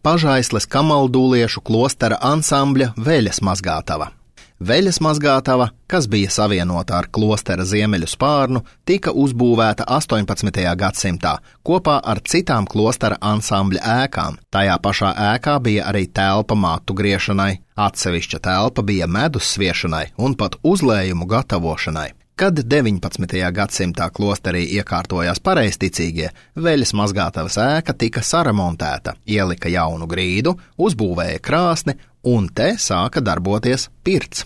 Pažaisles kamaldūliešu klostera ansambļa veļas mazgātava. Veļas mazgātava, kas bija savienota ar klostera ziemeļu spārnu, tika uzbūvēta 18. gadsimtā kopā ar citām klostera ansambļa ēkām. Tajā pašā ēkā bija arī telpa matu griešanai, atsevišķa telpa bija medus sviešanai un pat uzlējumu gatavošanai. Kad 19. gadsimtā klosterī iekārtojās pareizticīgie, veļas mazgātavas ēka tika saremontēta, ielika jaunu grīdu, uzbūvēja krāsni un te sāka darboties pirts.